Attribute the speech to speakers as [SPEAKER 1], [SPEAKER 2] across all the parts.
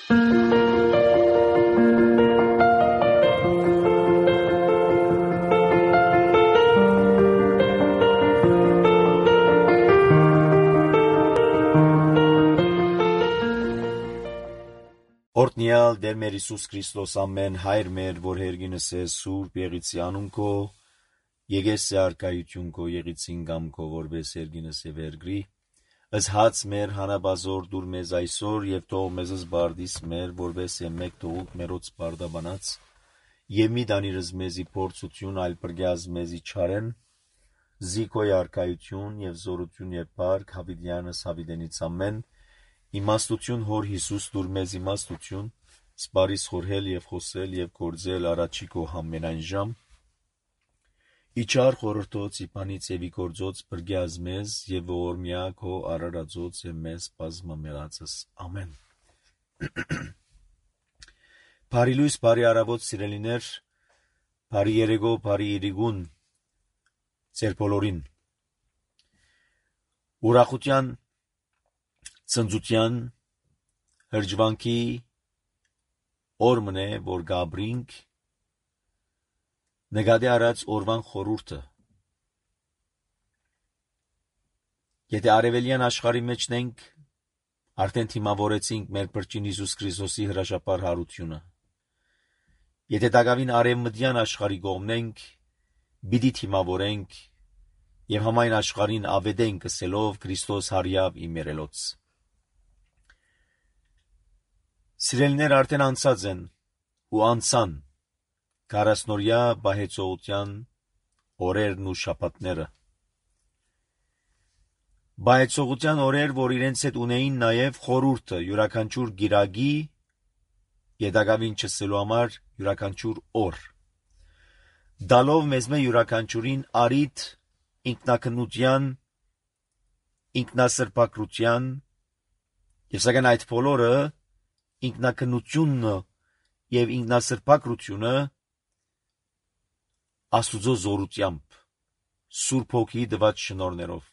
[SPEAKER 1] Օրհնյալ Տեր մեր Հիսուս Քրիստոս ամեն հայր մեր, որ հերգինս է սուրբ եղիցի անուն քո, եկես է արքայություն քո եղիցին գամ քո, որպես հերգինս է վերգրի, ըս հաց մեր հանաբազոր դուր մեզ այսօր և թող մեզս բարդիս մեր, որպես է մեկ թողուկ մերոց բարդաբանած, և մի դանիրս մեզի փորձություն, այլ պրգյազ մեզի չարեն, զիքոյ արքայություն և զորություն և պարք հավիդյանս հավիդենից ամեն, իմաստություն հոր Հիսուս դուր մեզ իմաստություն, սպարիս խորհել և խոսել և գործել առաջի քո համենայն ժամ, իչար խորհրդոց իպանից և իգործոց բրգյազ մեզ և ողորմյա քո արարածոց և մեզ բազմամեղածս ամեն։ Բարի լույս, բարի առավոտ սիրելիներ, բարի երեկո, բարի իրիգուն ձեր բոլորին։ Ուրախության, ցնծության, հրճվանքի օր մնե, որ գաբրինք նկատի առած օրվան խորհուրդը։ Եթե արևելյան աշխարհի մեջ ենք, արդեն թիմավորեցինք մեր Փրկին Հիսուս Քրիստոսի հրաշապար հարությունը։ Եթե դակավին արևմտյան աշխարհի կողմն ենք, պիտի թիմավորենք և համայն աշխարհին ավետենք ասելով Քրիստոս հարյավ իմերելոց։ Սիրելիներ, արդեն անցած են ու անցան 40-օրյա բահեցողության օրերն ու շաբաթները։ Բահեցողության օրեր, որ իրենց հետ ունեին նաև խորհուրդը յուրաքանչյուր գիրագի Եդակավին չսելու համար յուրաքանչյուր օր։ Դալով մեզ մե յուրաքանչյուրին արիթ ինքնակնության, ինքնասրբակրության և սակայն այդ բոլորը ինքնակնությունն և ինքնասրբակրությունը Աստուծո զորությամբ, Սուրբ Հոգի տված շնորհներով։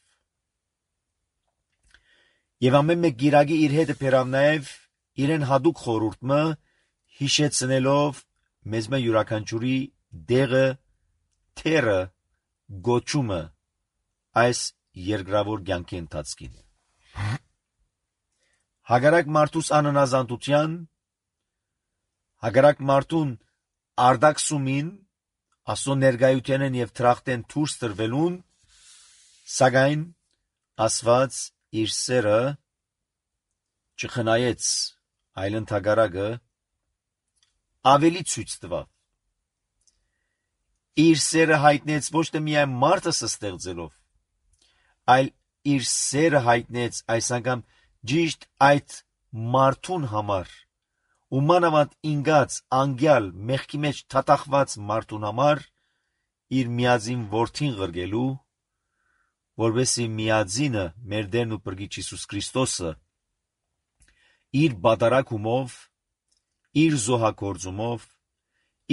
[SPEAKER 1] Եվ ամեն մեկ գիրագի իր հետը բերավ նաև իրեն հատուկ խորհուրդը հիշեցնելով մեզ մե յուրաքանչյուրի դեղը, թերը, գոչումը այս երկրավոր կյանքի ընթացքին։ Հակառակ մարդուս անհնազանդության, հակառակ մարդուն արդակսումին, Աստծո ներկայութենեն և դրախտեն դուրս տրվելուն, սակայն Աստված իր սերը չխնայեց, այլ ընդհակառակը ավելի ցույց տվավ։ Իր սերը հայտնեց ոչ թե միայն մարդը ստեղծելով, այլ իր սերը հայտնեց այս անգամ ճիշտ այդ մարդուն համար, ու մանավանդ ինգած անգյալ մեղքի մեջ թաթախված մարդուն համար իր միածին որդին ղրկելու, որպեսզի միածինը մեր Տերն ու Փրկիչ Հիսուս Քրիստոսը իր բադարակումով, իր զոհագործումով,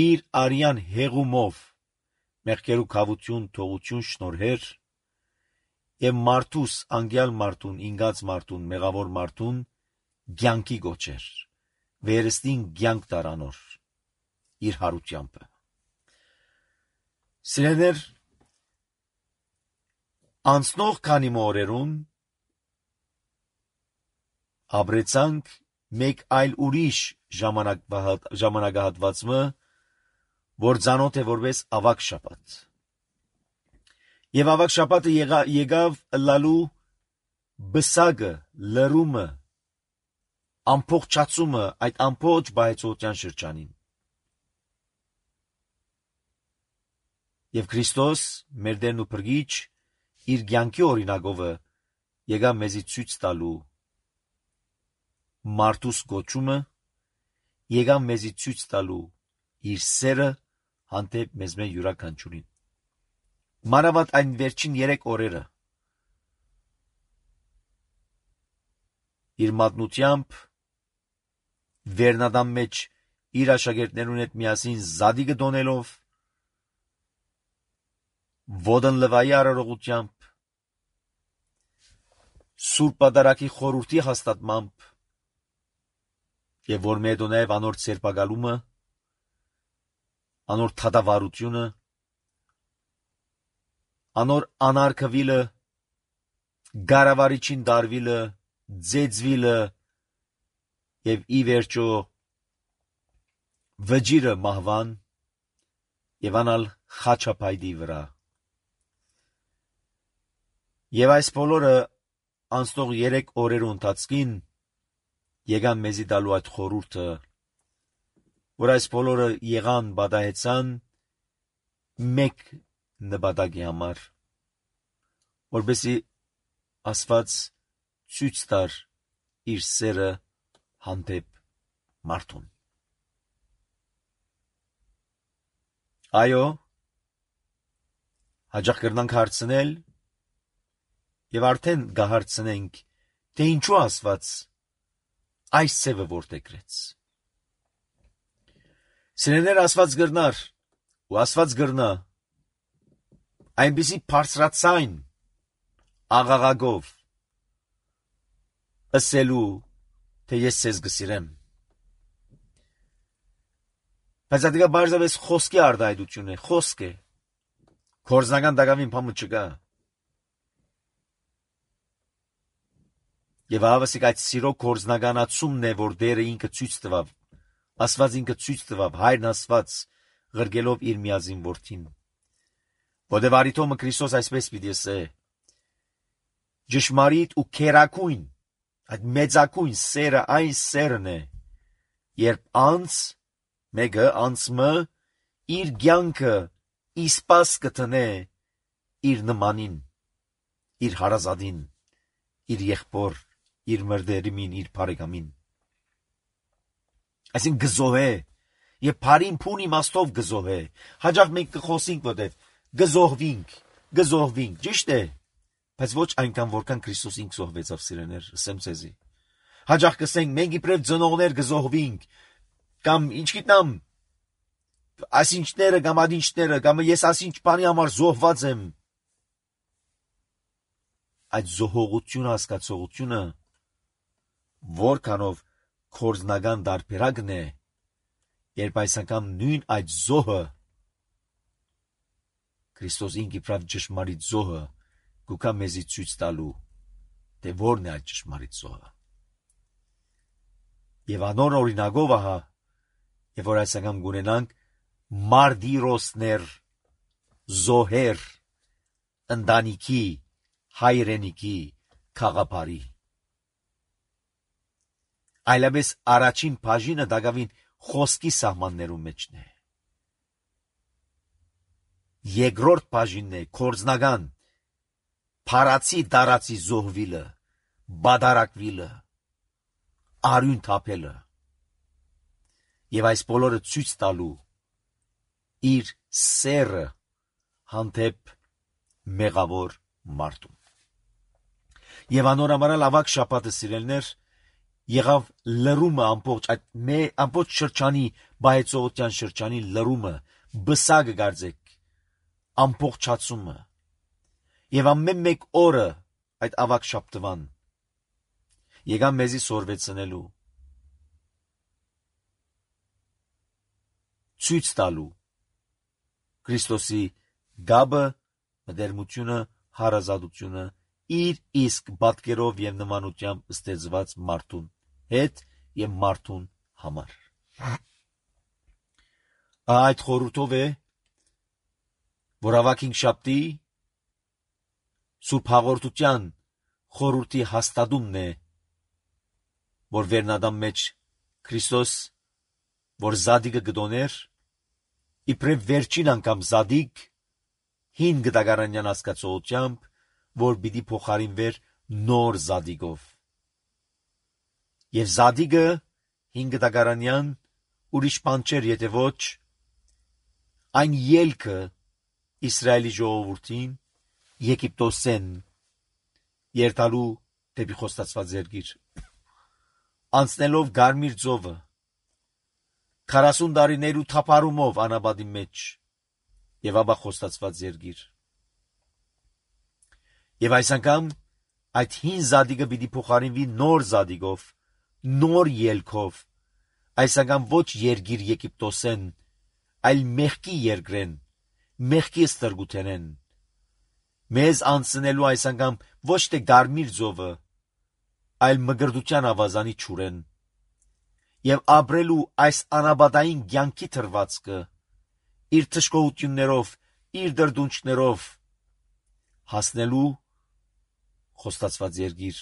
[SPEAKER 1] իր արյան հեղումով մեղքերու քավություն, թողություն շնորհեր և մարդուս անգյալ մարդուն, ինգած մարդուն, մեղավոր մարդուն կյանքի գոչեր, վերստին կյանք տարանոր իր հարությամբ։ Սիրելիներ, անցնող քանի օրերուն ապրեցանք մեկ այլ ուրիշ ժամանակահատվածը, որ ծանոթ է որպես ավագ շաբաթ։ Եվ ավագ շաբաթը եկավ լալու բսակը, լրումը, ամբողջացումը այդ ամբողջ բահեցողության շրջանին։ Եվ Քրիստոս, մեր Տերն ու Փրկիչ, իր կյանքի օրինակովը եկավ մեզի ցույց տալու մարդուս գոչումը, եկավ մեզի ցույց տալու իր սերը հանդեպ մեզ մե յուրաքանչյուրին։ Մանավանդ այն վերջին 3 օրերը իր մատնությամբ վերնադամ մեջ իր աշակերտներուն հետ միասին զադիգը դոնելով, ոտն լվայի արարողությամբ, Սուրբ Պատարագի խորհրդի հաստատմամբ եւ որ մեդո նաեւ անոր ցերպակալումը, անոր թադավարությունը, անոր անարգվիլը, գարավարիչին դարվիլը, ձեծվիլը եւ ի վերջո վջիրը մահվան եւ անալ խաչապայդի վրա։ Եվ այս բոլորը անցնող 3 օրերու ընթացքին եկան մեզի տալու այդ խորհուրդը, որ այս բոլորը եղան բադահեցան մեկ նպատակի համար, որպեսզի Աստված ցույց տար իր սերը հանդեպ մարդուն։ Այո, հաջող կրնանք հարցնել եւ արդեն կհարցնենք, թե ինչու Աստված այս ծևը որտեղրեց։ Սիրելիներ, Աստված գրնար ու Աստված գրնա այնպիսի բարձրացայն աղաղակով ասելու, թե ես ձեզ գսիրեմ։ Բայց դա բարձրապես խոսքի արտահայտություն է, խոսք է։ Գործնական դակավին բամը չկա։ Եվ հավասիկ այդ սիրո գործնականացումն է, որ դերը ինքը ցույց տվավ, Աստված ինքը ցույց տվավ, Հայրն Աստված ղրգելով իր միածին որդին։ Որտև արիթոմը Քրիստոս այսպես պիտի ասե. Ճշմարիտ ու քերակույն, այդ մեծակույն սերը այն սերն է, երբ մեկը անցմը իր կյանքը իսպաս կտնե իր նմանին, իր հարազատին, իր եղբոր, իր մրդերիմին, իր բարեկամին։ Այսինքն գզոհե, եւ բարին փուն իմաստով գզոհե։ Հաջող մենք կխոսենք, որտեվ գզոհվինք, ճիշտ է, բայց ոչ այնքան, որքան Քրիստոս ինքը զոհվեցավ, սիրելիներ, ասեմ ձեզի։ Հաջող կսենք, մենք իբրև ծնողներ գզոհվինք, կամ ինչ գիտնամ, ասինչները կամ ադինչները, կամ ես ասինչ բանի համար զոհված եմ։ Այդ զոհողությունը, հասկացողությունը, որքանով կորձնական դարբերակն է, երբ այս անգամ նույն այդ զոհը, Քրիստոս ինքը իբրավ ճշմարիտ զոհը, գուկա մեզի ցույց տալու, թե որն է այդ ճշմարիտ զոհը։ Եվ անոր օրինակով ահա, եւ որ այս անգամ գունենանք մարդիրոսներ, զոհեր, ընտանիքի, հայրենիքի, քաղաքարի։ Այլապես առաջին բաժինը դակավին խոսքի սահմաններում մեջն է։ Երկրորդ բաժինն է կորձնական, փարացի դարացի զոհվիլը, բադարակվիլը, արյուն թափելը, եւ այս բոլորը ցույց տալու իր սերը հանդեպ մեղավոր մարդուն։ Եվ անոր համար ավակ շաբաթը, սիրելիներ, եղավ լրումը ամբողջ շրջանի, բայեցողության շրջանի լրումը, բսակը գարձեք, ամբողջացումը, եւ ամեն մեկ օրը այդ ավակ շաբթվան եկան մեզի սորվեցնելու, ցույց տալու Քրիստոսի գաբը, մտերմությունը, հարազատությունը իր իսկ պատկերով եւ նմանությամբ ստեղծված մարդուն հետ եւ մարդուն համար։ Այդ խորհուրդով է, որ ավակին շաբթի Սուրբ հաղորդության խորհրդի հաստատումն է, որ վերնադամ մեջ Քրիստոս, որ զադիկը գդոներ, իբրև վերջին անգամ զադիկ, հին գդագարանյան հասկացողությամբ, որ պիտի փոխարինվեր նոր զադիկով։ Եվ զադիկը հին գդագարանյան ուրիշ բան չէր, եթե ոչ այն ելքը Իսրայելի ժողովրդին Եգիպտոսեն երթալու դեպի խոստացված երկիր, անցնելով Գարմիր ծովը, 40 տարիներու թափարումով անապատի մեջ եւ ապա խոստացված երկիր։ Եվ այս անգամ այդ հին զադիկը պիտի փոխարինվի նոր զադիկով, նոր ելքով, այս անգամ ոչ երգիր Եգիպտոսեն, այլ մեղքի երգրեն, մեղքի ստրգութենեն։ Մեզ անցնելու այս անգամ ոչ թե գարմիր ձովը, այլ մգրդության ավազանի ճուրեն, եւ ապրելու այս անաբադային կյանքի թրվածքը, իր թշկողություններով, իր դրդունչներով, հասնելու խոստացված երգիր,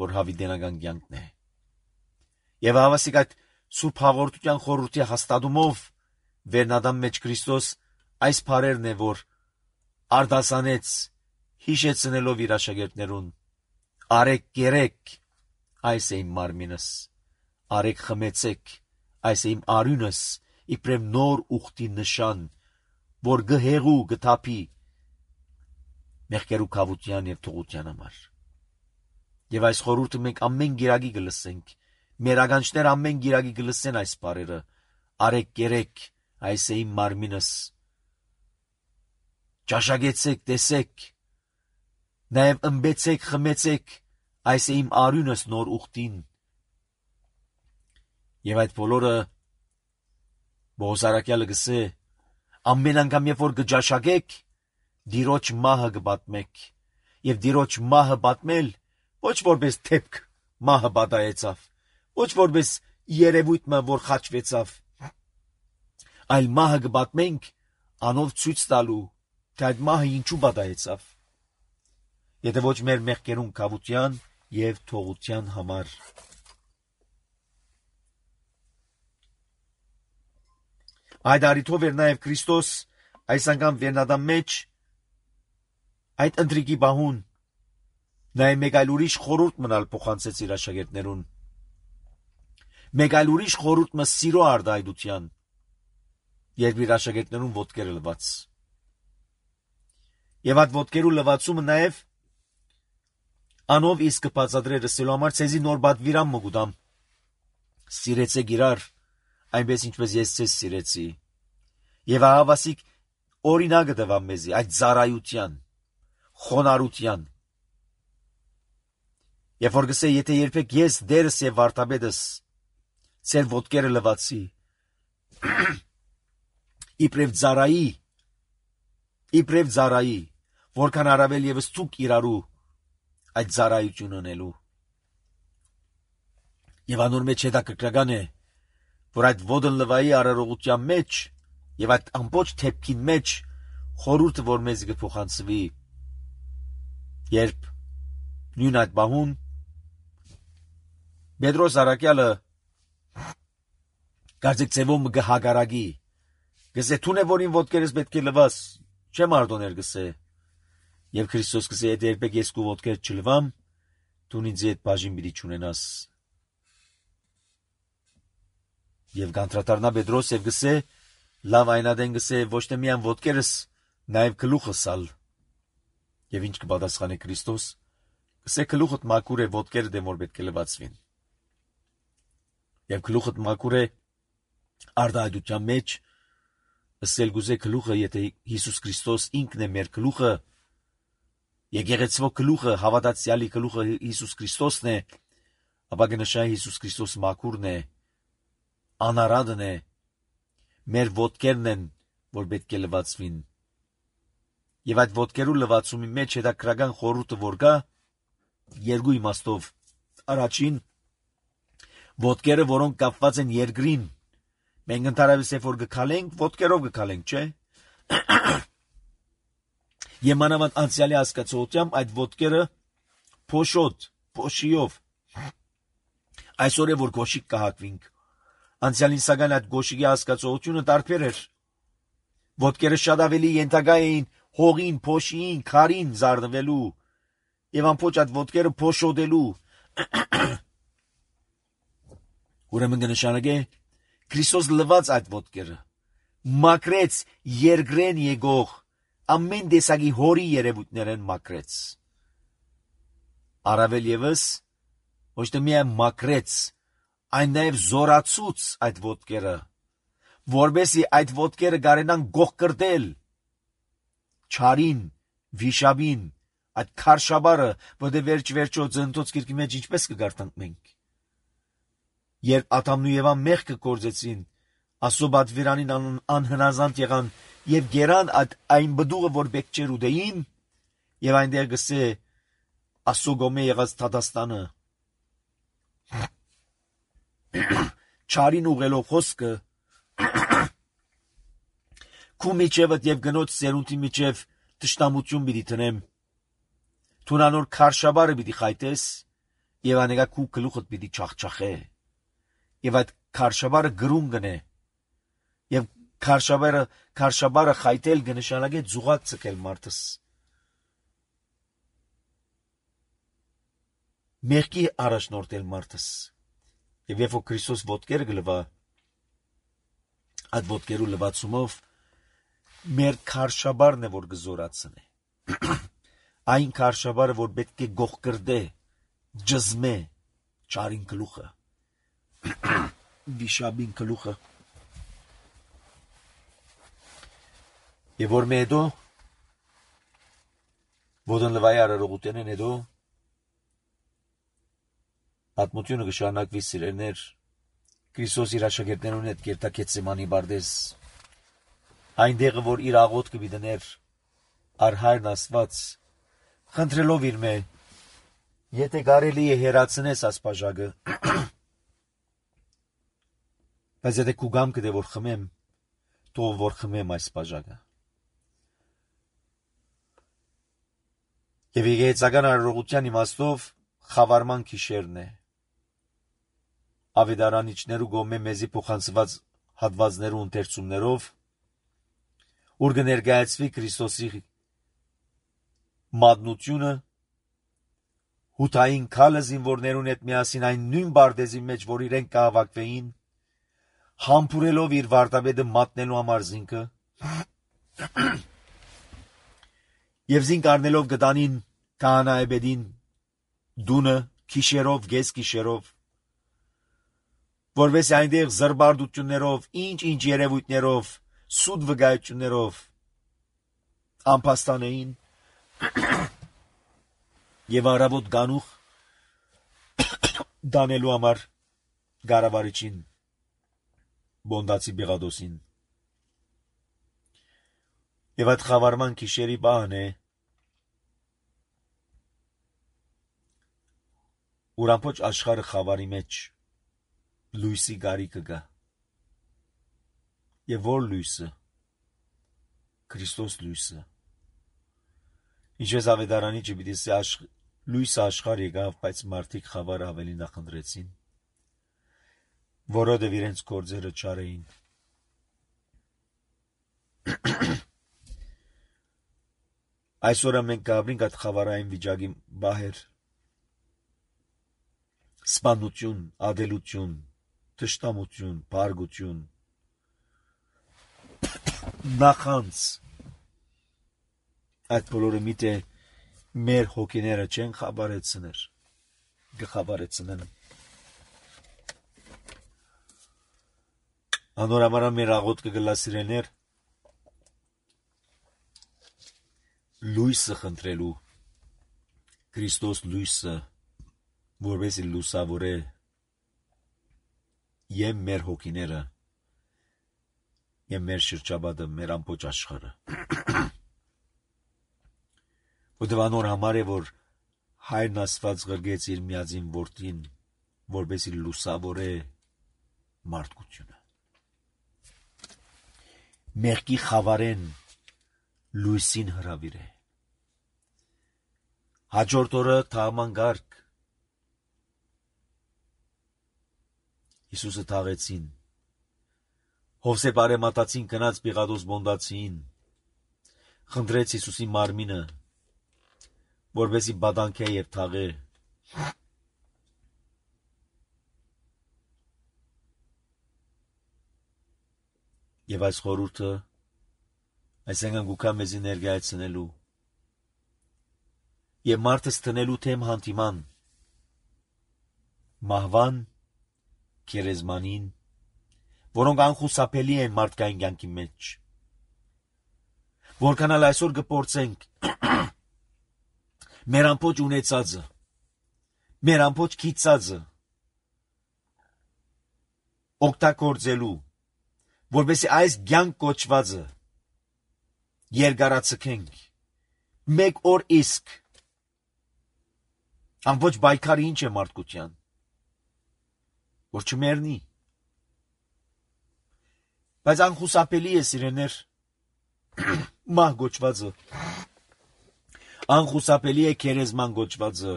[SPEAKER 1] որ հավիտենական կյանքն է։ Եվ հավասիկ այդ սուրբ հաղորդության խորհրդի հաստատումով վերնադամ մեջ Քրիստոս այս բառերն է, որ արդասանեց հիշեցնելով իր աշակերտներուն. արեք կերեք, այս է իմ մարմինս, արեք խմեցեք, այս է իմ արյունս, իբրև նոր ուխտի նշան, որ գհեղու գթափի մեղքերու քավության եւ թողության համար։ Եվ այս խորհուրդը մենք ամեն գիրագի կլսենք, մեր ականջները ամեն գիրագի կլսեն այս բառերը. արեք կերեք, այս է իմ մարմինս, ճաշակեցեք, տեսեք, նաեւ ըմբեցեք, խմեցեք, այս է իմ արյունս նոր ուխտին։ Եվ այդ բոլորը Բոհոսարակյալը գսե, ամեն անգամ երբ որ կճաշակեք, դիրոջ մահը կպատմեք, եւ դիրոջ մահը պատմել ոչ որպես թեփք մահը պատահեցավ, ոչ որպես երևույթը, որ խաչվեցավ, այլ մահը կպատմենք անով ցույց տալու, թե այդ մահը ինչու պատահեցավ, եթե ոչ մեր մեղքերուն քավության եւ թողության համար։ Այդ արիթով էր նաեւ Քրիստոս այս անգամ վերնադամ մեջ այդ ընտրիկի բահուն նաեւ մեկ այլ ուրիշ խորհուրդ մնալ փոխանցեց իր աշակերտներուն, մեկ այլ ուրիշ խորհուրդ մը սիրո արտահայտության, երբ իր աշակերտներուն ոտքերը լվաց։ Եվ այդ ոտքերու լվացումը նաեւ անով իսկ կբացատրեր ըսելու համար ցեզի նոր բադվիրամ մգուտամ, սիրեցեք իրար, այնպես ինչպես ես ցեզ սիրեցի։ Եվ ահավասիկ օրինակը տվավ մեզի այդ ծառայության, խոնարհության։ Եվ որ գսե, եթե երբեք ես դերս եւ վարդապետս ցեր ոտքերը լվացի, իբրև ծառայի, որքան առավել եւս ցուկ իրարու այդ ծառայություն ունելու։ Եվ անոր մեջ հետաքրքրական է, որ այդ ոտն լվայի արարողության մեջ եւ այդ ամբողջ թեփքին մեջ խորհուրդը, որ մեզ կփոխանցվի, երբ նույն այդ բահուն Պետրոս Արաքյալը կարծեք ձևում կհագարագի, գսե թունե որին ոտքերս պետք է լվաս, չեմ արտոներ գսե, եւ Քրիստոս գսե, եթե երբեք ես քո ոտքեր չլվամ, դու ինձ հետ բաժին պիտի չունենաս։ Եվ կանտրատարնա Պետրոս եւ գսե, լավ այնադեն գսե, ոչ թե միայն ոտքերս, նաեւ գլուխս ալ։ Եվ ինչ կպատասխանի Քրիստոս, գսե գլուխդ մաքուր է, ոտքերը դեմ որ պետք է լվացվին։ Եվ գլուխդ մաքուր է արտահայտության մեջ, ըսել գուզե գլուխը, եթե Հիսուս Քրիստոս ինքն է մեր գլուխը, եկեղեցվո գլուխը, հավատացյալի գլուխը Հիսուս Քրիստոսն է, ապա կնշա Հիսուս Քրիստոս մաքուրն է, անարադն է, մեր ոտքերն են, որ պետք է լվացվին։ Եվ այդ ոտքերու լվացումի մեջ հետաքրական խորհուրդը որ կա, երկու իմաստով։ Առաջին, ոտքերը, որոնք կապված են երկրին, մենք ընդհանրապես երբ որ գքալենք, ոտքերով գքալենք, չէ՞։ Եվ մանավանդ անցյալի հասկացողությամբ այդ ոտքերը փոշոտ, փոշիով, այսօր է որ գոշիկ կհատվինք, անցյալին սակայն այդ գոշիկի հասկացողությունը տարբեր էր, ոտքերը շատ ավելի ենթակա էին հողին, փոշիին, քարին զարնվելու եւ ամբողջ այդ ոտքերը փոշոտելու։ Ուրեմն կնշանակե Քրիստոս լվաց այդ ոտքերը, մաքրեց երկրեն եկող ամեն տեսակի հորի երևույթներեն մաքրեց։ Առավել եւս ոչ թե միայն մաքրեց, այն նաեւ զորացուց այդ ոտքերը, որբեսի այդ ոտքերը կարենան գողկրտել չարին, վիշապին, այդ քարշաբարը, որտեղ վերջ-վերջո Ծննդոց գիրքի մեջ ինչպես կգարտանք մենք։ երբ Ադամն ու Եվան մեղքը կործեցին, Աստծո բادվերանին անհնազանդ եղան եւ գերան այն բդուղը, որ բեք չեր ուդեին, եւ այնտեղ գսե Աստծո գոմե եղած Թադաստանը չարին ուղելով խոսքը քու միջևդ եւ գնոց ծերունտի միջև տշտամություն պիտի տնեմ, թունանոր քարշաբարը պիտի խայտես եւ անեգա քու գլուխդ պիտի չախչախե եւ այդ քարշաբարը գրուն գնե եւ քարշաբարը խայտել կնշանակե զուգակ ցկել մարդս մեղքի առաջնորդել մարդս եւ երբ որ Քրիստոս ոտքերը գլվա այդ ոտքերու լվացումով մեր քարշաբարն է որ գզորացնե այն քարշաբարը որ պետք է գողկրդե ջզմե չարին գլուխը վիշաբին գլուխը եւ որ մեդո ոդն լվայ արարողութենն էդո Ատմությունը կշարունակվի սիրելներ Քրիստոս իր աշակերտներուն հետ Գետսեմանի բարդես այնտեղը որ իր աղոթքը բիդներ արհայրն Աստված խնդրելով իր մե եթե կարելի է հերացնես ասպաժակը բայց եթե քու գամքը դե որ խմեմ թող որ խմեմ այս սպաժակը եւ եկեղեցական արարողության իմաստով խավարման քիշերն է ավետարանիչներու գոմե մեզի փոխանցված հատվածներու ընթերցումներով ուր կներկայացվի Քրիստոսի մատնությունը հութային քալը զինվորներուն հետ միասին այն նույն բարդեզի մեջ որ իրենք կհավաքվեին համբուրելով իր վարտաբեդը մատնելու համար զինքը եւ զինք առնելով գտանին քահանայեբեդին դունը քիշերով գես քիշերով որովհետեւ այնտեղ զրբարդություններով ինչ երևույթներով սուտ վկայություններով ամփոստանեին եւ արավոտ գանուխ դանելու համար գարավարիչին բոնդացի բեղադոսին եւ այդ խավարման քիշերի բան է Ուրանփոչ աշխարհը խավարի մեջ լույսի գարիկը գա եւ որ լույսը Քրիստոս լույսը ինչպես ավետարանի չպիտի լույսը աշխարհ եկավ բայց մարդիկ խավարը ավելի նախընտրեցին որովհետեւ իրենց գործերը չար էին այսօր մենք կապրինք այդ խավարային վիճակի բահեր սպանություն, ադելություն, թշնամություն, բարգություն, նախանց այդ բոլորը միտե մեր հոգիները չեն խաբարեցներ, կխաբարեցնեն անորամարա մեր աղոթքը գլասիրեներ լույսը խնդրելու Քրիստոս լույսը որովհետեւ լուսավոր է եւ մեր հոգիները եւ մեր շրջապատը մեր ամբողջ աշխարհը որովհետեւ անոր համար է որ հայրն Աստված գրգեց իր միածին որդին որովհետեւ լուսավոր է մարդկությունը մեղքի խավարեն լույսին հրավիր է հաջորդ օրը թաղման գարկ Հիսուսը թաղեցին Հովսեփ արեմատացին կնած Պիղադոս բոնդացին խնդրեց Հիսուսի մարմինը որպեսզի բադանքե եւ թաղե եւ այս խորհուրդը այսինքն գուքա մեզի ներկայացնելու եւ մարդը ստնելու թեմ հանդիման մահվան քերեզմանին որոնք անխուսափելի են մարդկային կյանքի մեջ որքանալ այսօր կփորձենք մեր ամբողջ ունեցածը մեր ամբողջ քիծածը օգտագործելու, որպեսզի այս կյանք կոչվածը երկարացնենք, մեկ օր իսկ, ամբողջ բայկարը ինչ է մարդկության, որ չմեռնի, բայց անխուսափելի է սիրեներ, մահ գոչվածը, անխուսափելի է քերեզման գոչվածը,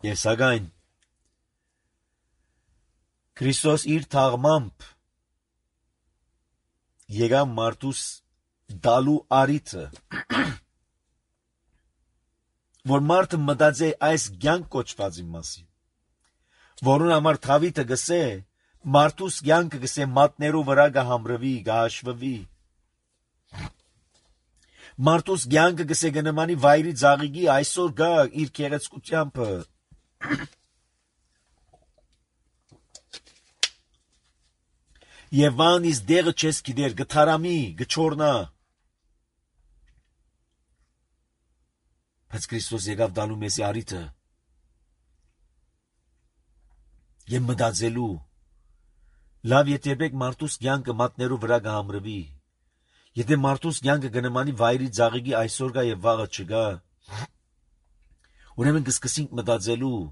[SPEAKER 1] եւ սակայն Քրիստոս իր թաղմամբ եկավ մարդուս դալու արիթը, որ մարդը մտածե այս կյանք կոչվածի մասին, որուն համար Դավիթը գսե, մարդուս կյանքը գսե մատներու վրա կհամրվի, կհաշվվի, մարդուս կյանքը գսե կնմանի վայրի ծաղիկի, այսօր գա իր գեղեցկությամբ, եւ վան իս դեղը չես գիտեր, գթարամի, գչորնա, բայց Քրիստոս եկավ դալու մեզի արիթը, եւ մտածելու, լավ եթե երբեք մարդուս կյանքը մատներու վրա կհամրվի, եթե մարդուս կյանքը կնմանի վայրի ծաղիկի, այսօր գա եւ վաղը չգա, ուրեմն կսկսենք մտածելու,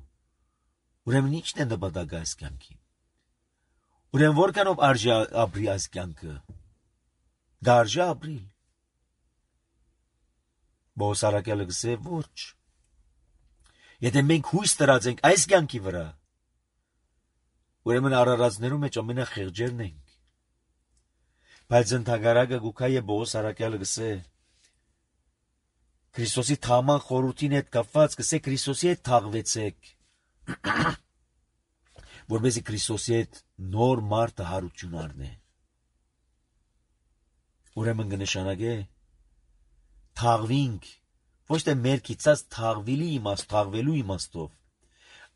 [SPEAKER 1] ուրեմն ի՞նչն է նպատակը այս կյանքի, ուրեմն որքանով արժի ապրի այս կյանքը, դարժի ապրիլ, Բոս Արաքյալը գսե ոչ, եթե մենք հույս տրածենք այս կյանքի վրա, ուրեմն արարածներու մեջ ամենախեղճերն ենք, բայց ընդհանրակը գուքայ է Բոս Արաքյալը գսե, Քրիստոսի թաման խորհրդին հետ կապված գսե Քրիստոսի հետ թաղվեցեք, որպեսզի Քրիստոսի հետ նոր մարդը հարություն առնե, ուրեմն կնշանակե թաղվինք, ոչ թե մեր կիցած թաղվելու իմաստով,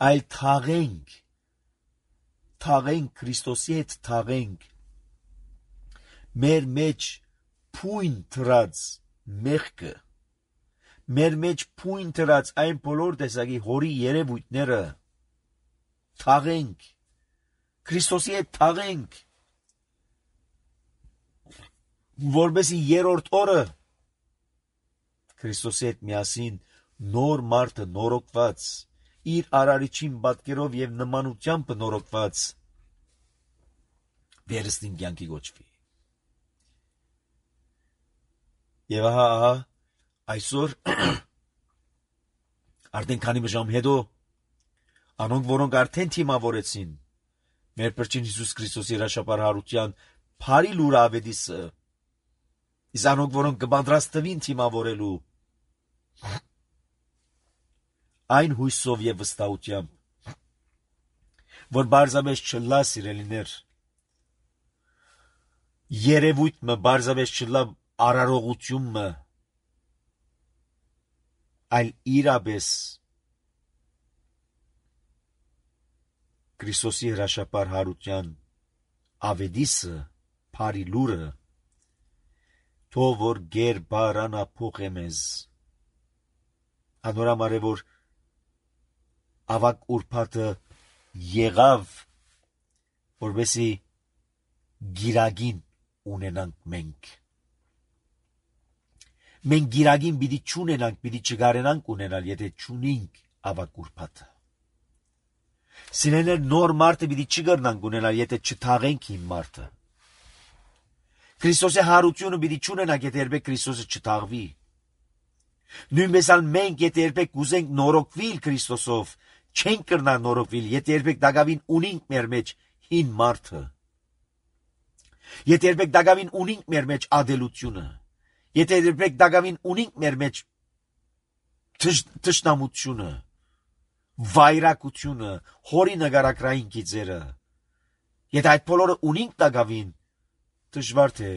[SPEAKER 1] այլ թաղենք Քրիստոսի հետ թաղենք, մեր մեջ փույն թրած մեղքը, մեր մեջ փույն թրած այն բոլոր տեսակի հորի երևույթները թաղենք, Քրիստոսի հետ թաղենք, որպեսզի երրորդ օրը Քրիստոսի հետ միասին նոր մարդը նորոգված, իր արարիչին պատկերով եւ նմանությամբ նորոգված վերստին կյանքի գոչվի։ Եվ ահա այսօր արդեն քանի ժամ հետո անոնք, որոնք արդեն թիմավորեցին մեր Փրկին Հիսուս Քրիստոսի հրաշապարարության բարի լուրը ավետիսը, իսկ անոնք, որոնք կպատրաստվին թիմավորելու այն հույսով եւ վստահությամբ, որ բարձավես չլա սիրելիներ, երևույթը բարձավես չլա արարողությունը, այլ իրապես Քրիստոսի հրաշապար հարության ավետիսը, բարի լուրը, թող որ գեր բարանա փոխե մեզ, անորամար է որ ավակ ուրբաթը եղավ, որպեսզի գիրագին ունենանք մենք։ Մենք գիրագին պիտի չունենանք, պիտի չգարենանք ունենալ, եթե չունենք ավակ ուրբաթը։ Սիրելիներ, նոր մարդը պիտի չգրնանք ունենալ, եթե չթաղենք հին մարդը։ Քրիստոսի հարությունը պիտի չունենանք, եթե երբեք Քրիստոսը չթաղվի։ Նույնպես ալ մենք, եթե երբեք կուզենք նորոգվել Քրիստոսով, չենք կրնա նորոգվել, եթե երբեք դակավին ունենք մեր մեջ հին մարդը, եթե երբեք դակավին ունենք մեր մեջ ադելությունը, եթե երբեք դակավին ունենք մեր մեջ թշնամությունը, վայրակությունը, հորի նկարակրային գիծերը, եթե այդ բոլորը ունենք դակավին, դժվար թե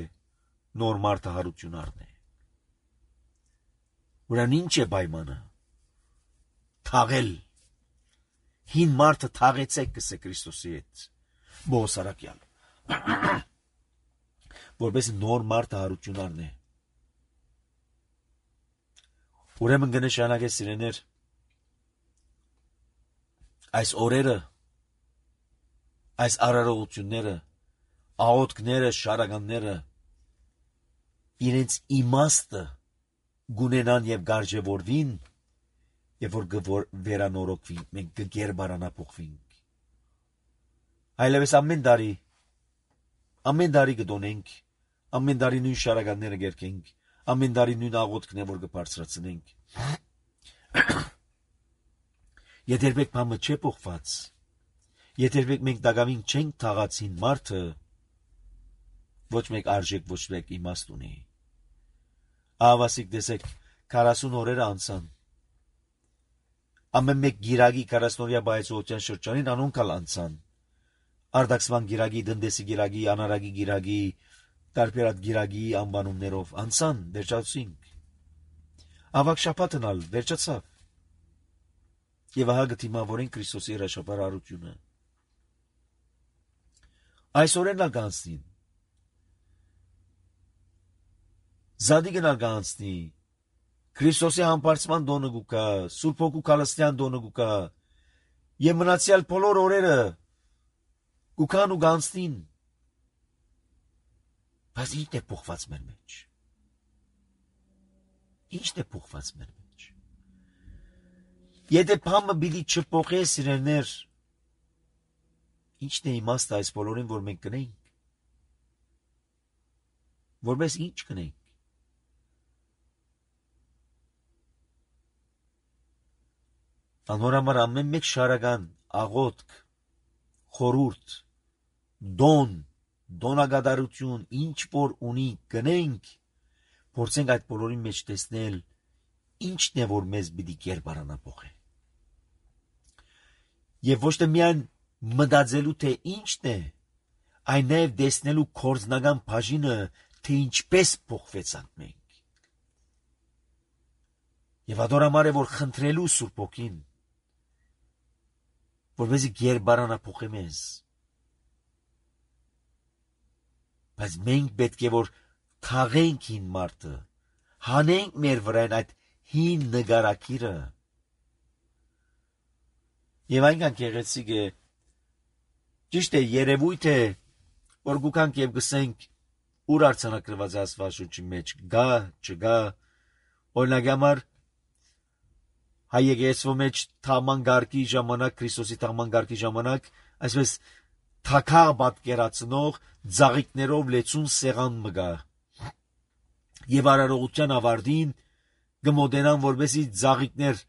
[SPEAKER 1] նոր մարդը հարություն առնե։ Ուրեմն ինչ է պայմանը։ Թաղել։ Հին մարդը թաղեցեք կսե Քրիստոսի հետ։ Բոս Արաքյալ։ Որպես նոր մարդը հարություն առնե։ Ուրեմն կնշանակե սիրեներ, այս օրերը այս արարողությունները, աղոթքները, շարականները իրենց իմաստը գունենան եւ գարժեվորվին, եւ որ վերանորոգվին, մենք կգերբարանափոխվենք։ Այլևս ամեն տարի կդոնենք, ամեն տարի նույն շարականները գերկենք, ամեն տարի նույն աղոթքն է, որ կբարձրացնենք։ Եթե երբեք բամը չէ փոխված, եթե երբեք մենք դակամին չենք թաղացին մարդը, ոչ մեկ արժեք, ոչ մեկ իմաստ ունի։ Ահավասիկ տեսեք, 40 օրերը անցան։ Ամեն մեկ գիրագի 40-օրյա բայեցողության շրջանին անոնքալ անցան։ Արդակսման գիրագի, դնդեսի գիրագի, անարագի գիրագի, տարբերատ գիրագի անվանումներով անցան, վերջացինք։ Ավակ շաբաթն ալ վերջացավ։ Եվ ահա գտիմավորեն Քրիստոսի հրաշափարարությունը։ Այս օրերն ալ կանցնին։ Զադիգն ալ կանցնի։ Քրիստոսի համբարձման դոնը գուկա, Սուրբ Հոգու Քալստյան դոնը գուկա, եւ մնացյալ բոլոր օրերը գուքան ու կանցնին։ Բայց ի՞նչն է փոխված մեր մեջ։ Ի՞նչն է փոխված մեր մեջ։ Եթե բամը պիտի չփոխե սիրելներ, ի՞նչն է իմաստը այս բոլորին, որ մենք կնենք։ Որպես ինչ կնենք։ Անորամար ամեն մեկ շարական, աղոթք, խորուրդ, դոնագադարություն, ինչ որ ունի գնենք, փորձենք այդ բոլորի մեջ տեսնել ինչն է, որ մեզ պիտի կերպարանափոխե։ Եվ ոչ թե միայն մտածելու, թե ինչն է, այլ նաև տեսնելու կորձնական բաժինը, թե ինչպես փոխվեցանք մենք։ Եվ adorամար է, որ խնդրելու Սուրբ Հոգին, որպեսզի կերպարանափոխե մեզ։ Բայց մենք պետք է որ թաղենք հին մարդը, հանենք մեր վրան այդ հին նգարակիրը։ Եվ այնքան գեղեցիկ է, ճիշտ է, երևույթ է, որ գուքանք եւ գսենք ուր արձանագրված Աստվածաշունչի մեջ, գա, չգա, օրինակ համար հայ եկեղեցու մեջ թաղման գարկի ժամանակ, Քրիստոսի թաղման գարկի ժամանակ, այսպես թակա պատկերացնող ծաղիկներով լեցուն սեղան մգա։ Եվ արարողության ավարտին գմոտենան, որպեսի ծաղիկներ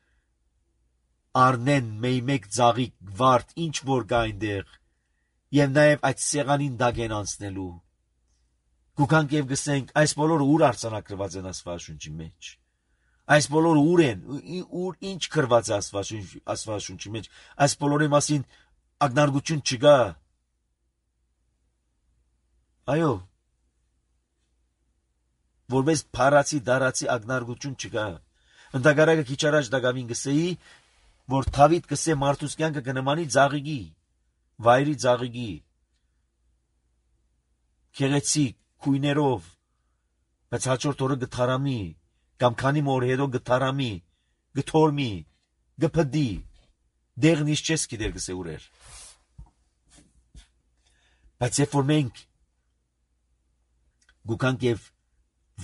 [SPEAKER 1] առնեն մեկ ծաղիկ վարդ, ինչ որ կա այնտեղ, եւ նաեւ այդ սեղանին դագեն անցնելու։ Գուքանք եւ գսենք, այս բոլորը ուր արձանագրված են Աստվածաշունչի մեջ։ Այս բոլորը ուր են, ուր ինչ գրված է Աստվածաշունչի մեջ։ Այս բոլորի մասին ակնարկություն չկա։ Այո, որպես փարացի դարացի ակնարկություն չկա։ Ընդհանրակը քիչ առաջ դակամին գսեի, որ Դավիթ գսե մարդուս կյանքը կնմանի ծաղիկի, վայրի ծաղիկի, քեղեցիկ քույներով, բայց հաջորդ օրը գթարամի, կամ քանի օր հետո գթարամի, գթորմի, գփդի, դեղն ինչ չես գիտեր գսե ուրեր։ Բայց երբ որ մենք գուքանք եւ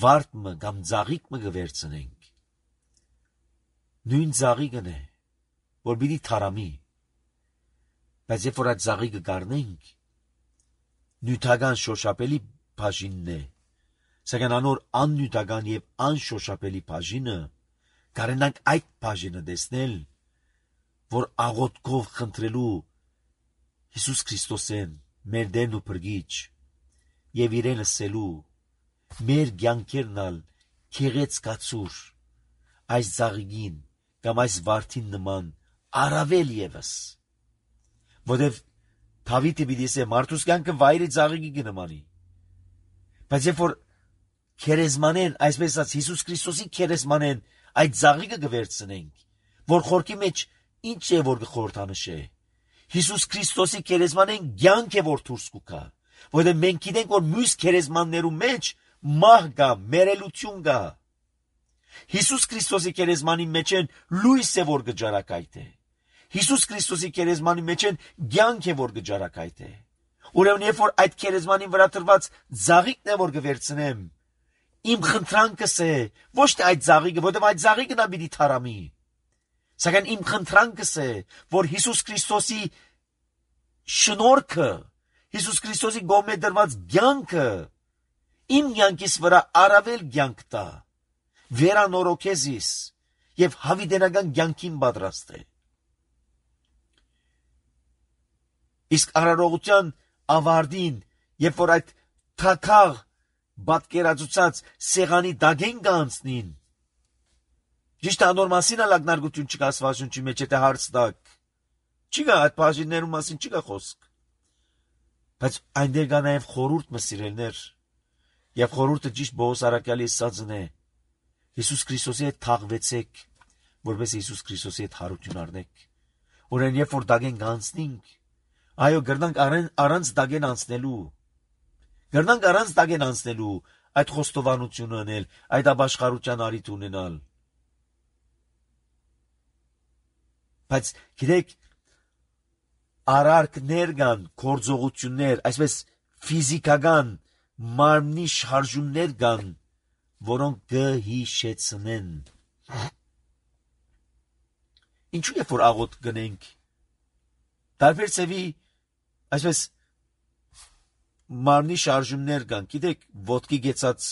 [SPEAKER 1] վարդը կամ ծաղիկը գվերցնենք, նույն ծաղիկն է, որ պիտի թարամի, բայց երբ որ այդ ծաղիկը կառնենք, նյութական շոշափելի բաժինն է, սակայն անոր աննյութական եւ անշոշափելի բաժինը, կարենանք այդ բաժինը տեսնել, որ աղոթքով խնդրելու Հիսուս Քրիստոսեն, մեր Տերն ու Փրկիչ, եւ իրեն ասելու, մեր կյանքերն ալ քեղեցկացուր այս ծաղիկին կամ այս վարդին նման առավել եւս, որովհետեւ Դավիթը պիտի ասե մարդուս կյանքը վայրի ծաղիկի կնմանի, բայց երբ որ քերեզմանեն, այսպես ասած Հիսուս Քրիստոսի քերեզմանեն այդ ծաղիկը կվերցնենք, որ խորքի մեջ ինչ է որ կխորհրդանշե, Հիսուս Քրիստոսի քերեզմանեն կյանք է որ դուրս կգա, որովհետեւ մենք գիտենք որ մյուս քերեզմաններու մեջ մահ կա, մերելություն կա։ Հիսուս Քրիստոսի քերեզմանի մեջ են լույս է որ գճարակայթ է։ Հիսուս Քրիստոսի քերեզմանի մեջ են ցանկ է որ գճարակայթե։ Ուրեմն երբ որ այդ քերեզմանին վրա տրված ծաղիկն է որ գվերցնեմ, իմ խնդրանքս է, ոչ թե այդ ծաղիկը, որտեղ այդ ծաղիկը նա պիտի թարամի։ Սակայն իմ խնդրանքս է, որ Հիսուս Քրիստոսի շնորհքը, Հիսուս Քրիստոսի գոմե դրված ցանկը իմ ցանկից վրա առավել ցանկ տա, վերանորոգեզիս եւ հավիտենական ցանկին պատրաստ է։ Իսկ արարողության ավարտին, երբ որ այդ թակաղ պատկերացած սեղանի դագեն կանցնին, ճիշտ անոր մասին ալագնարգություն չկա ասվածությունի մեջ, եթե հարց տակ, չկա այդ բաժիններու մասին չկա խոսք, բայց այնտեղ կա նաև խորհուրդ մսիրելներ, եւ խորհուրդը ճիշտ Պողոս առաքյալի ասածն է. Հիսուս Քրիստոսի հետ թաղվեցեք, որպես Հիսուս Քրիստոսի հետ հարություն առնեք։ Ուրեմն երբ որ դագեն կանցնենք, այո, գրնանք առանց դագեն անցնելու, այդ խոստովանությունը անել, այդ ապաշխարության առիթ ունենալ։ Բայց գիտեք, արարքներ կան, գործողություններ, այսպես ֆիզիկական մարմնի շարժումներ կան, որոնք կհիշեցնեն։ Ինչու է որ աղոտ գնենք, տարբեր ծևի, այսպես մարմնի շարժումներ կան, գիտեք, ոտքի գեցած,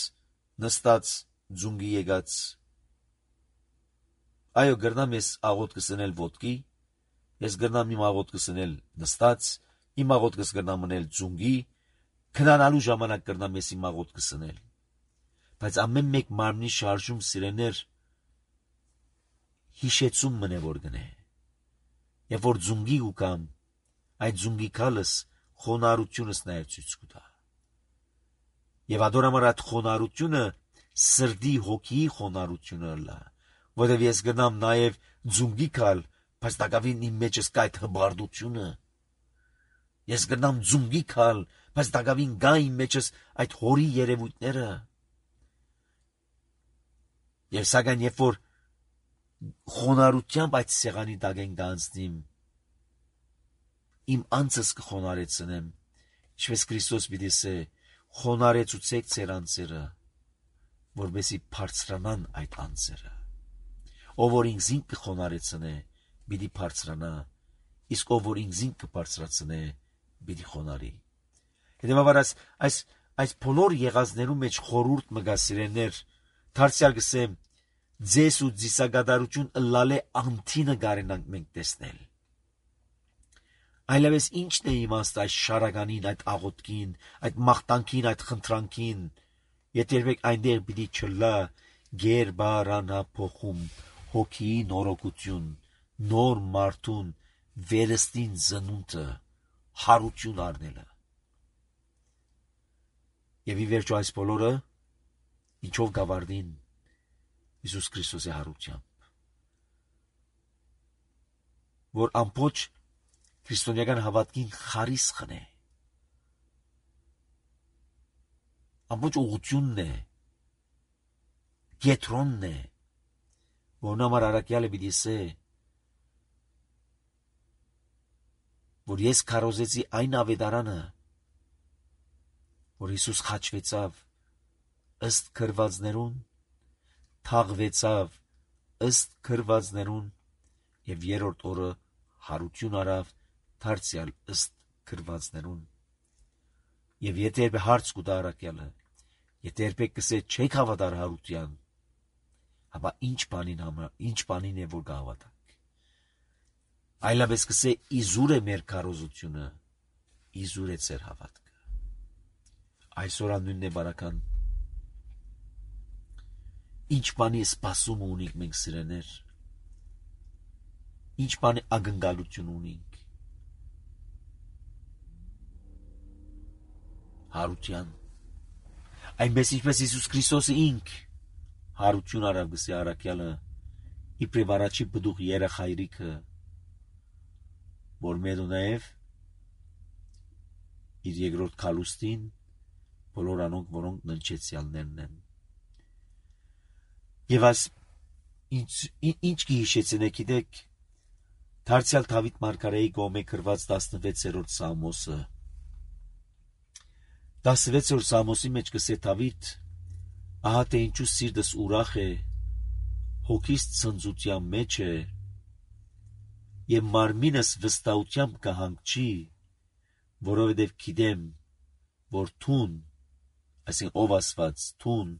[SPEAKER 1] նստած, ձունգի եկած։ Այո, գրնամ ես աղոտ կսնել ոտքի, ես գրնամ իմ աղոտ կսնել նստած, իմ աղոտ կսգրնամ մնել ձունգի, քնանալու ժամանակ գրնամ ես իմ աղոտ կսնել։ Բայց ամեն մեկ մարմնի շարժում սիրեներ հիշեցում մնե որ գնե։ Եվ որ ձունգի ու կամ, այդ ձունգի կալս խոնարհությունս նաև ցույց կտա։ Եվ ադորամար այդ խոնարհությունը սրդի հոգի խոնարհությունը լա, որովհետև ես գնամ նաև ձունգի կալ, բայց դակավին իմ մեջս կա այդ հբարդությունը։ Ես գնամ ձունգի կալ, բայց դակավին գա իմ մեջս այդ հորի երևույթները։ Եվ սակայն երբ որ խոնարհությամբ այդ սեղանի տակ են գանցնիմ, իմ անձս կխոնարեցնեմ, ինչպես Քրիստոս պիտի ասե, խոնարեցուցեք ձեր անձերը, որպեսզի բարձրանան այդ անձերը։ Ով որ ինքզին կխոնարեցնե, պիտի բարձրանա, իսկ ով որ ինքզին կբարձրացնե, պիտի խոնարհի։ Հետևաբար այս բոլոր եղածներու մեջ խորհուրդ մը գա սիրեներ, դարձյալ գսեմ, ձեզ ու ձիսագադարություն ըլլալե անթինը գարենանք մենք տեսնել։ Այլևս ինչն է իմաստ այդ շարականին, այդ աղոտքին, այդ մաղթանքին, այդ խնդրանքին, եթե երբեք այնտեղ պիտի չլա գերբարանա փոխում, հոգիի նորոգություն, նոր մարդուն, վերստին զնունտը, հարություն առնելը։ Եվ ի վերջո այս բոլորը ինչով գավարդին Հիսուս Քրիստոսի հարությամբ, որ ամբողջ քրիստոնեական հավատքին խարիսխն է, ամբողջ ուղղությունն է, կետրոնն է, որն համար առաքյալը պիտի ասե, որ ես քարոզեցի այն ավետարանը, որ Հիսուս խաչվեցավ ըստ քրվածներուն, թաղվեցավ ըստ քրվածներուն եւ երրորդ օրը հարություն արավ դարձյալ ըստ քրվածներուն։ Եվ եթե երբե հարց կուտա առաքյալը, եթե երբեք կսե չեք հավատար հարության, ապա ինչ բանին է որ կհավատաք։ Այլապես կսե իզուր է մեր քարոզությունը, իզուր է ձեր հավատքը։ Այսօր նույնն է բարական։ Ինչ բանի սպասում ունենք մենք սիրեներ, ինչ բանի ակնկալություն ունենք։ Հարության, այնպես ինչպես Հիսուս Քրիստոսը ինք հարություն արավ գսի առաքյալը, իբրև առաջի բդուղ երեխայրիկը, որ մետո նաև իր երկրորդ քալուստին բոլոր անոնք, որոնք ննչեցյալներն են։ Եվ այս ինչ կհիշեցնեք, գիտեք, Դարձյալ Դավիթ մարգարեի կողմէ գրված 16-րդ Սամոսը 16-րդ Սամոսի մեջ կսե Դավիթ ահա թե ինչու սիրտս ուրախ է հոգիս ցնծության մեջ է եւ մարմինս վստահությամբ կհանգչի որովհետեւ գիտեմ որ թուն այսինքն ով ասված թուն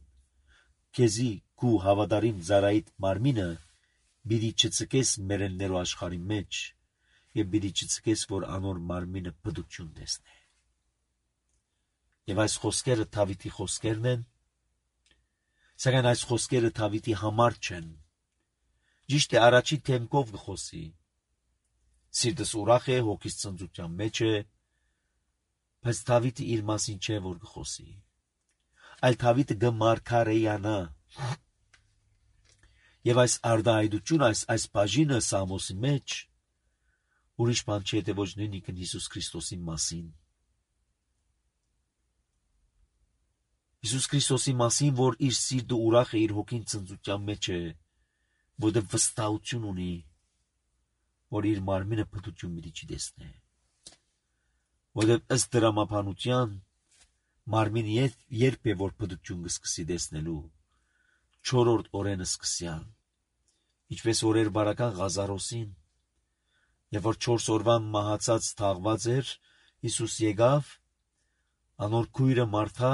[SPEAKER 1] քեզի քու հավատարիմ ծառայիդ մարմինը Բիդի չծկես մերելներու աշխարհի մեջ եւ բիդի չծկես որ անոր մարմինը բդություն տեսնե եւ այս խոսքերը Դավիթի խոսքերն են սակայն այս խոսքերը Դավիթի համար չեն ճիշտ է առաջի թեմքով գխոսի սիրտս ուրախ է հոգիս ցնծության մեջ է բայց Դավիթը իր մասին չէ որ գխոսի այլ Դավիթը գմարգարեյանա Եվ այս արդահայտություն, այս բաժինը Սամոսի մեջ ուրիշ բան չէ, թե ոչ նույնիսկ Հիսուս Քրիստոսի մասին։ Հիսուս Քրիստոսի մասին, որ իր սիրտը ուրախ է, իր հոգին ցնծության մեջ է, որտեղ վստահություն ունի, որ իր մարմինը փտություն մի չի տեսնի։ Որտեղ ըստ դրամապանության մարմինը երբ է որ փտություն կսկսի տեսնելու 4-րդ օրենը սկսյալ, ինչպես օրեր բարական Ղազարոսին, եւ որ 4 օրվան մահացած թաղված էր, Հիսուս եկավ, անոր քույրը Մարթա,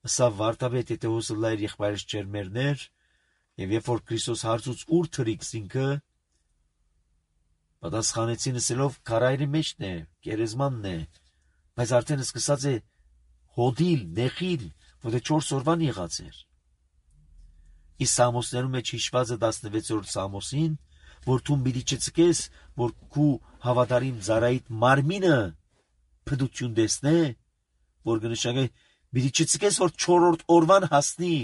[SPEAKER 1] ասավ վարդապետ, եթե հոսը լայր եղբայրս ջերմերներ, եւ երբ որ Քրիստոս հարցուց ուր թրիքս ինքը, պատասխանեցին ասելով քարայրի մեջն է, գերեզմանն է, բայց արդեն սկսած է հոդիլ, նեղիլ, որտեղ 4 օրվան եղած էր։ Իսկ Սամոսներում մեջ հիշված է 16-րդ Սամոսին, որ դու պիտի չծկես, որ քու հավատարիմ ծառայիդ մարմինը փդություն տեսնե, որ կնշանակե պիտի չծկես, որ 4-րդ օրվան հասնի,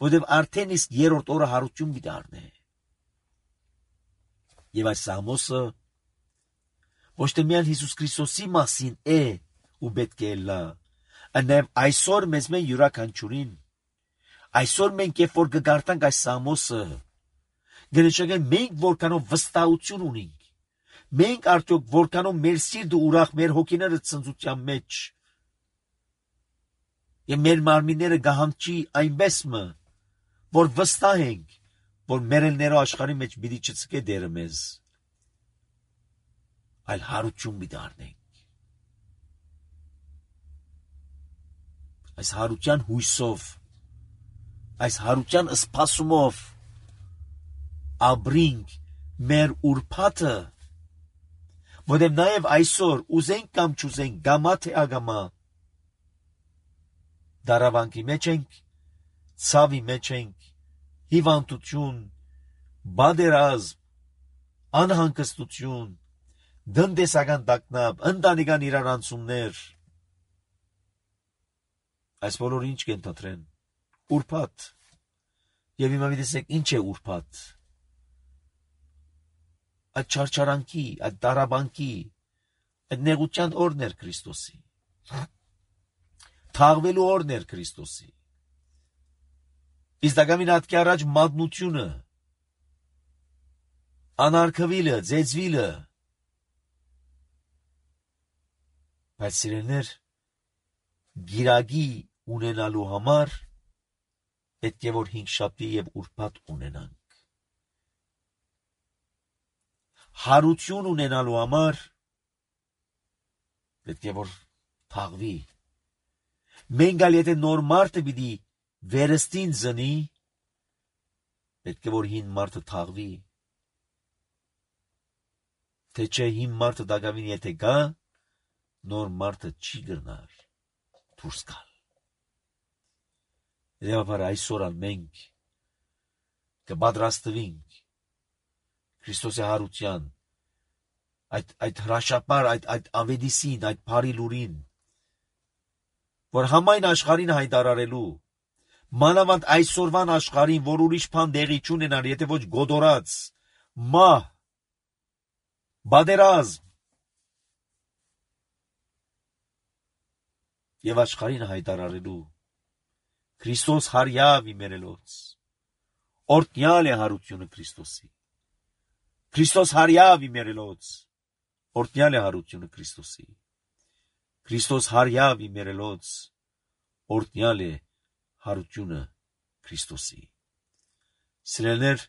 [SPEAKER 1] որտեղ արդեն իսկ 3-րդ օրը հարություն պիտի առնե։ Եվ այս Սամոսը ոչ թե միայն Հիսուս Քրիստոսի մասին է ու պետք է լա, այլ այսօր մեզ մեն յուրաքանչյուրին Այսօր մենք երբ որ կգարտանք այս Սամոսը, կնշանակե մենք որքանով վստահություն ունենք, մենք արդյոք որքանով մեր սիրտը ուրախ, մեր հոգիները ցնծության մեջ, եւ մեր մարմինները կհանգչի այնպես մը, որ վստահ ենք, որ մերելներու աշխարհի մեջ պիտի չծկե դերը մեզ, այլ հարություն պիտի առնենք։ Այս հարության հույսով Այս հարության սպասումով ապրինք մեր ուրբաթը, որտեղ նաև այսօր ուզենք կամ չուզենք, գամա թե ագամա, դարավանքի մեջ ենք, ցավի մեջ ենք, հիվանդություն, բادرազմ, անհանգստություն, տնտեսական տագնապ, ընտանեկան իրարանցումներ, այս բոլորը ինչ կընտրեն ուրբաթ, եւ հիմա մի տեսեք ինչ է ուրբաթ, այդ չարչարանքի, այդ դարաբանքի, այդ նեղության օրն էր Քրիստոսի, թաղվելու օրն էր Քրիստոսի, իսկ դակամին ատքի առաջ մատնությունը, անարգվիլը, ձեծվիլը, բայց սիրելիներ, գիրագի ունենալու համար պետք է որ 5 շաբթի եւ ուրբաթ ունենանք։ Հարություն ունենալու համար պետք է որ թաղվի։ Մենք ալ եթե նոր մարդը պիտի վերստին զնի, պետք է որ հին մարդը թաղվի։ Թե չէ հին մարդը դակավին եթե գա, նոր մարդը չի գրնար դուրս գալ։ Եվ այսօր մենք կպատրաստվենք Քրիստոսի հարության, այդ հրաշապար, այդ ավետիսին, այդ բարի լուրին, որ համայն աշխարհին հայտարարելու, մանավանդ այսօրվան աշխարհին, որ ուրիշ բան տեղի չունենար, եթե ոչ գոդորած, մահ, բادرազմ, եւ աշխարհին հայտարարելու Քրիստոս հարյավ իմերելոց, օրտնյալ է հարությունը Քրիստոսի, Քրիստոս հարյավ իմերելոց, օրտնյալ է հարությունը Քրիստոսի։ Քրիստոս հարյավ իմերելոց, օրտնյալ է հարությունը Քրիստոսի։ Սիրելիներ,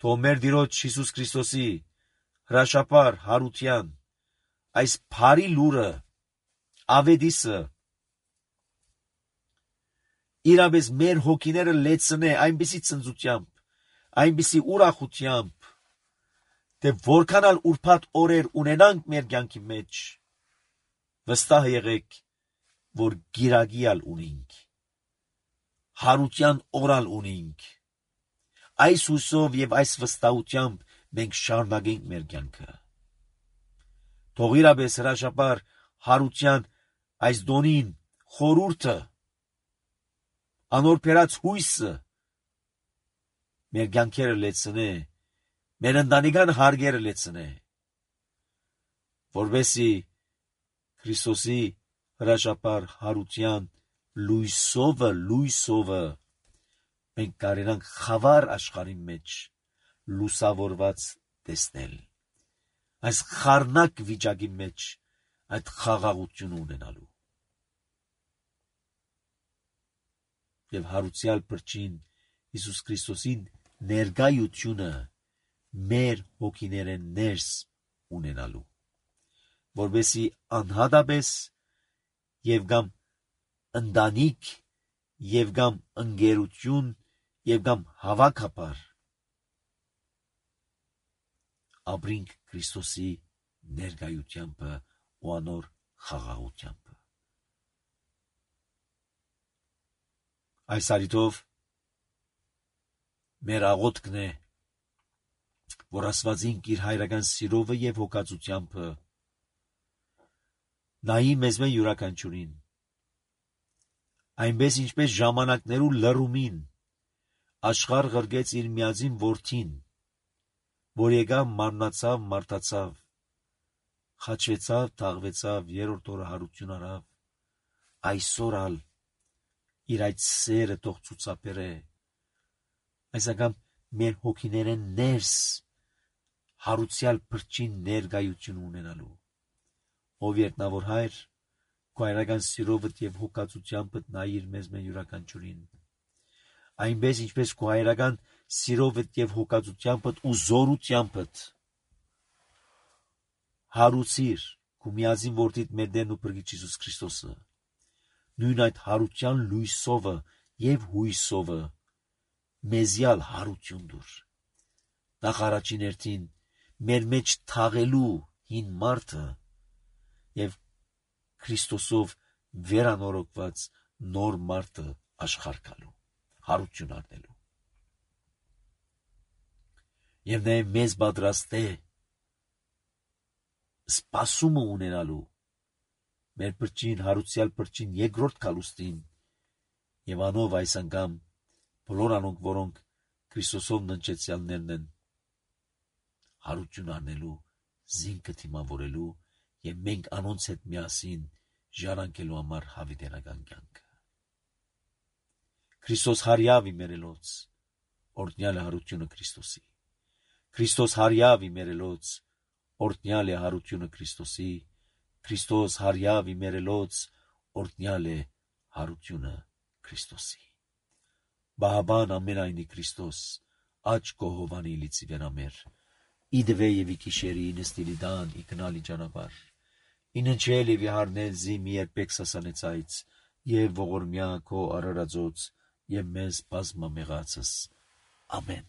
[SPEAKER 1] թող մեր Տիրոջ Հիսուս Քրիստոսի հրաշապար հարության այս բարի լուրը ավետիսը իրապես մեր հոգիները լեցնե այնպիսի ցնծությամբ, այնպիսի ուրախությամբ, թե որքանալ ուրբաթ օրեր ունենանք մեր կյանքի մեջ, վստահ եղեք, որ գիրագիալ ունենք, հարության օրալ ունենք, այս հույսով և այս վստահությամբ մենք շարունակենք մեր կյանքը։ Թող իրապես հրաշապար հարության այս դոնին խորհուրդը, անոր բերած հույսը մեր կյանքերը լեցնե, մեր ընտանեկան հարգերը լեցնե, որովհետեւ Քրիստոսի հրաշապար հարության լույսովը մենք կարենանք խավար աշխարհի մեջ լուսավորված տեսնել, այս խառնակ վիճակի մեջ այդ խաղաղությունը ունենալու եւ հարուցյալ փրկին Հիսուս Քրիստոսի ներկայությունը մեր հոգիներեն ներս ունենալու, որովհետեւ անհատապես եւ կամ ընտանիք եւ կամ ընկերություն եւ կամ հավաքապար ապրինք Քրիստոսի ներկայությամբ ու անոր խաղաղությամբ։ Այս արիտով մեր աղոթքն է, որ Աստվածին իր հայրական սիրովը եւ հոգացությամբ նայի մեզ մեն յուրաքանչյուրին, այնպես ինչպես ժամանակներու լռումին աշխարհ ղրկեց իր միածին որդին, որ եկավ մարմնացավ, մարդացավ, խաչվեցավ, թաղվեցավ, երրորդ օրը հարություն արավ, այսօր ալ իր այդ սերը թող ցուցաբերե, այսինքն մեր հոգիներեն ներս հարուցյալ փրկին ներկայություն ունենալու, ով երտնավոր հայր, քո հայրական սիրովդ եւ հոգացությամբ նայիր մեզ մեն յուրաքանչյուրին, այնպես ինչպես քո հայրական սիրովդ եւ հոգացությամբ ու զորությամբ հարուցիր քո միածին որդիդ մեր Տերն ու Փրկիչ Հիսուս Քրիստոսը, նույն այդ հարության լույսովը եւ հույսովը մեզյալ հարություն դուր, նախ առաջին հերթին մեր մեջ թաղելու հին մարդը եւ Քրիստոսով վերանորոգված նոր մարդը աշխարհքալու, հարություն առնելու։ Եվ նաեւ մեզ պատրաստ է սպասումը ունենալու մեր փրկին հարուցյալ փրկին երկրորդ կալուստին եւ անով այս անգամ բոլոր անոնք, որոնք Քրիստոսով ննջեցյալներն են, հարություն առնելու, զինքը թիմավորելու եւ մենք անոնց հետ միասին ժառանգելու համար հավիտենական կյանքը։ Քրիստոս հարյավ իմերելոց, օրտնյալ է հարությունը Քրիստոսի։ Քրիստոս հարյավ իմերելոց, օրտնյալ է հարությունը Քրիստոսի։ Քրիստոս հարյավ իմերելոց, օրտնյալ է հարությունը Քրիստոսի։ Բահաբան ամենայնի Քրիստոս, աչ կողովանի լիցի վերամեր, իդվե եւ իքիշերի ինստիլի դան իքնալի ճանապար, իննչել եւ իհարնել զի մի երբեք սասանեցայց եւ ողորմյա քո արարածոց եւ մեզ բազմամեղացս։ Ամեն։